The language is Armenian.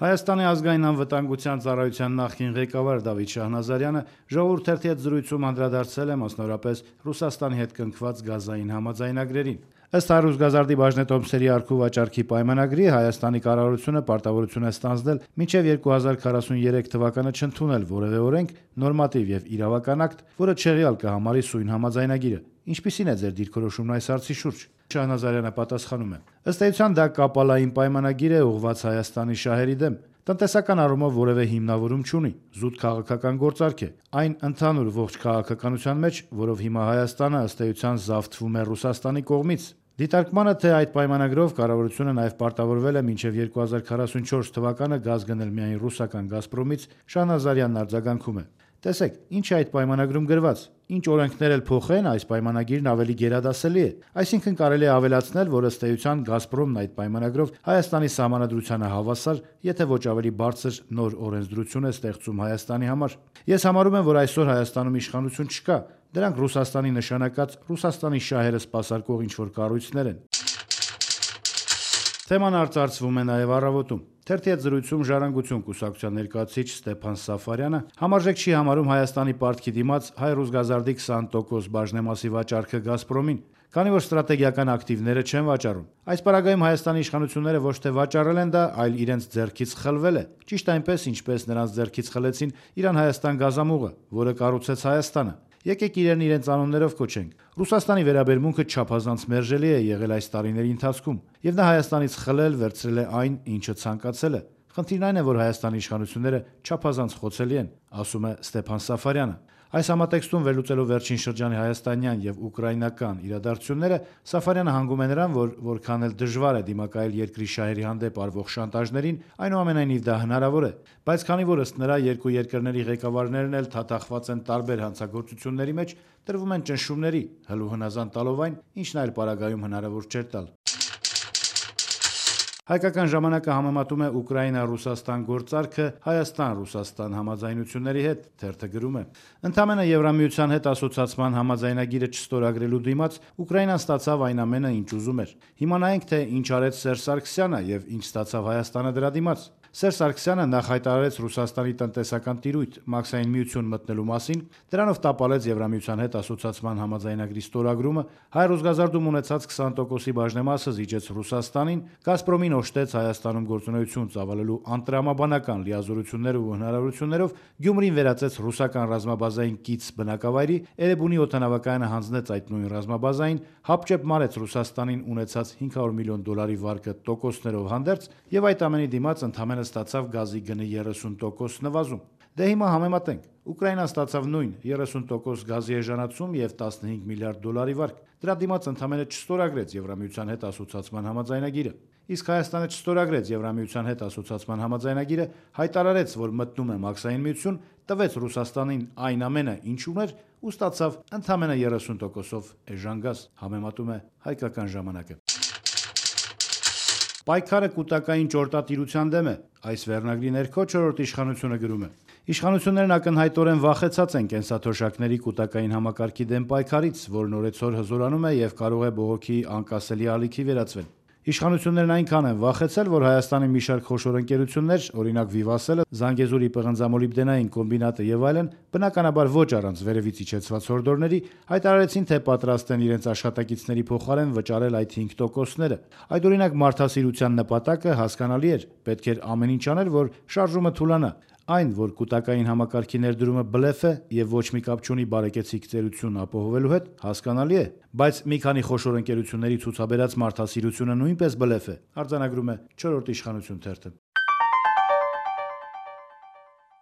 Հայաստանի ազգային անվտանգության ծառայության նախկին ղեկավար Դավիթ Շահնազարյանը «Ժողովուրդ» թերթի հետ զրույցում անդրադարձել է մասնավորապես Ռուսաստանի հետ կնքված գազային համաձայնագրերին։ Ըստ «Հայրուսգազարդի» բաժնետոմսերի առքու վաճառքի պայմանագրի Հայաստանի կառավարությունը պարտավորություն է ստանձնել մինչև 2043 թվականը չընդունել որևէ օրենք, նորմատիվ եւ իրավական ակտ, որը չեղյալ կհամարի սույն համաձայնագիրը։ Ինչպիսին է ձեր դիրքորոշումն այս հարցի շուրջ։ Շահնազարյանը պատասխանում է. ըստ էության դա կապալային պայմանագիր է ուղղված Հայաստանի շահերի դեմ։ Տնտեսական առումով որևէ հիմնավորում չունի, զուտ քաղաքական գործարք է։ Այն ընդհանուր ողջ քաղաքականության մեջ, որով հիմա Հայաստանը ըստ էության զավթվում է Ռուսաստանի կողմից։ Դիտարկմանը, թե այդ պայմանագրով կառավարությունը նաև պարտավորվել է մինչև 2044 թվականը գազ գնել միայն ռուսական «Գազպրոմից», Շահնազարյանն արձագանքում է. տեսեք, ինչ է այդ պայմանագրում գրված։ Ինչ օրենքներ էլ փոխեն, այս պայմանագիրն ավելի գերադասելի է։ Այսինքն կարելի է ավելացնել, որ ըստ էության «Գազպրոմն» այդ պայմանագրով Հայաստանի սահմանադրությանը հավասար, եթե ոչ ավելի բարձր նոր օրենսդրություն է ստեղծում Հայաստանի համար։ Ես համարում եմ, որ այսօր Հայաստանում իշխանություն չկա։ Դրանք Ռուսաստանի նշանակած Ռուսաստանի շահերը սպասարկող ինչ-որ կառույցներ են։ Թեման արծարծվում է նաև «Առավոտում»։ Թերթի հետ զրույցում «Ժառանգություն» կուսակցության ներկայացուցիչ Ստեփան Սաֆարյանը համարժեք չի համարում Հայաստանի պարտքի դիմաց «Հայրուսգազարդի» 20% բաժնեմասի վաճառքը «Գազպրոմին», քանի որ ստրատեգիական ակտիվները չեն վաճառում։ Այս պարագայում Հայաստանի իշխանությունները ոչ թե վաճառել են դա, այլ իրենց ձեռքից խլվել է։ Ճիշտ այնպես, ինչպես նրանց ձեռքից խլեցին Իրան-Հայաստան գազամուղը, որը կառուցեց Հայաստանը։ Եկեք իրեն իրենց անուններով կոչենք։ Ռուսաստանի վերաբերմունքը չափազանց մերժելի է եղել այս տարիների ընթացքում, եւ նա Հայաստանից խլել, վերցրել է այն, ինչը ցանկացել է։ Խնդիրն այն է, որ Հայաստանի իշխանությունները չափազանց խոցելի են, ասում է Ստեփան Սաֆարյանը։ Այս համատեքստում վերլուծելով վերջին շրջանի հայաստանյան եւ ուկրաինական իրադարձությունները, Սաֆարյանը հանգում է նրան, որ որքան էլ դժվար է դիմակայել երկրի շահերի հանդեպ արվող շանտաժներին, այնուամենայնիվ դա հնարավոր է։ Բայց քանի որ ըստ նրա երկու երկրների ղեկավարներն էլ թաթախված են տարբեր հանցագործությունների մեջ, տրվում են ճնշումների, հլու հնազանդ տալով այն, ինչն այլ պարագայում հնարավոր չէր տալ։ Հայկական ժամանակը համեմատում է Ուկրաինա-Ռուսաստան գործարքը Հայաստան-Ռուսաստան համաձայնությունների հետ, թերթը գրում է. ընդամենը Եվրամիության հետ ասոցիացման համաձայնագիրը չստորագրելու դիմաց Ուկրաինան ստացավ այն ամենը, ինչ ուզում էր։ Հիմա նայենք, թե ինչ արեց Սերժ Սարգսյանը եւ ինչ ստացավ Հայաստանը դրա դիմաց։ Սերժ Սարգսյանը նախ հայտարարեց Ռուսաստանի տնտեսական տիրույթ Մաքսային միություն մտնելու մասին, դրանով տապալեց Եվրամիության հետ ասոցիացման համաձայնագրի ստորագրումը, Հայրուսգազարդում ունեցած 20%-ի բաժնեմասը զիջեց Ռուսաստանին, Գազպրոմին օժտեց Հայաստանում գործունեություն ծավալելու անտրամաբանական լիազորություններ ու հնարավորություններով, Գյումրին վերածեց ռուսական ռազմաբազային կից բնակավայրի, Էրեբունի օդանավակայանը հանձնեց այդ նույն ռազմաբազային, հապճեպ մարեց Ռուսաստանին ունեցած $500 միլիոն վարկը տոկոսներով հանդերձ եւ այդ ամենի դիմաց ընդամենը ստացավ գազի գնի 30% նվազում։ Դե հիմա համեմատենք։ Ուկրաինան ստացավ նույն 30% գազի էժանացում եւ $15 միլիարդ վարկ։ Դրա դիմաց ընդամենը չստորագրեց Եվրամիության հետ ասոցիացման համաձայնագիրը։ Իսկ Հայաստանը չստորագրեց Եվրամիության հետ ասոցիացման համաձայնագիրը, հայտարարեց, որ մտնում է Մաքսային միություն, տվեց Ռուսաստանին այն ամենը, ինչ ուներ, ու ստացավ ընդամենը 30%-ով էժան գազ, համեմատում է Հայկական ժամանակը։ Պայքարը կൂട്ടակային ճորտատիրության դեմ է։ Այս վերնագրի ներքո չորրորդ իշխանությունը գրում է. իշխանություններն ակնհայտորեն վախեցած են կենսաթոշակների կൂട്ടակային համակարգի դեմ պայքարից, որն օրեցօր հզորանում է եւ կարող է բողոքի անկասելի ալիքի վերածվել։ Իշխանություններն այնքան են վախեցել, որ Հայաստանի մի շարք խոշոր ընկերություններ, օրինակ Վիվասելը, Զանգեզուրի պղնձամոլիբդենային կոմբինատը եւ այլն, բնականաբար ոչ առանց վերևից իջեցված հորդորների, հայտարարեցին, թե պատրաստ են իրենց աշխատակիցների փոխարեն վճարել այդ 5%-ները։ Այդ օրինակ մարդասիրության նպատակը հասկանալի էր, պետք էր ամեն ինչ անել, որ շարժումը թուլանա։ Այն, որ կൂട്ടակային համակարգի ներդրումը բլեֆ է եւ ոչ մի կապ չունի բարեկեցիկ ծերություն ապահովելու հետ, հասկանալի է, բայց մի քանի խոշոր ընկերությունների ցուցաբերած մարդասիրությունը նույնպես բլեֆ է, արձանագրում է չորրորդ իշխանություն թերթը։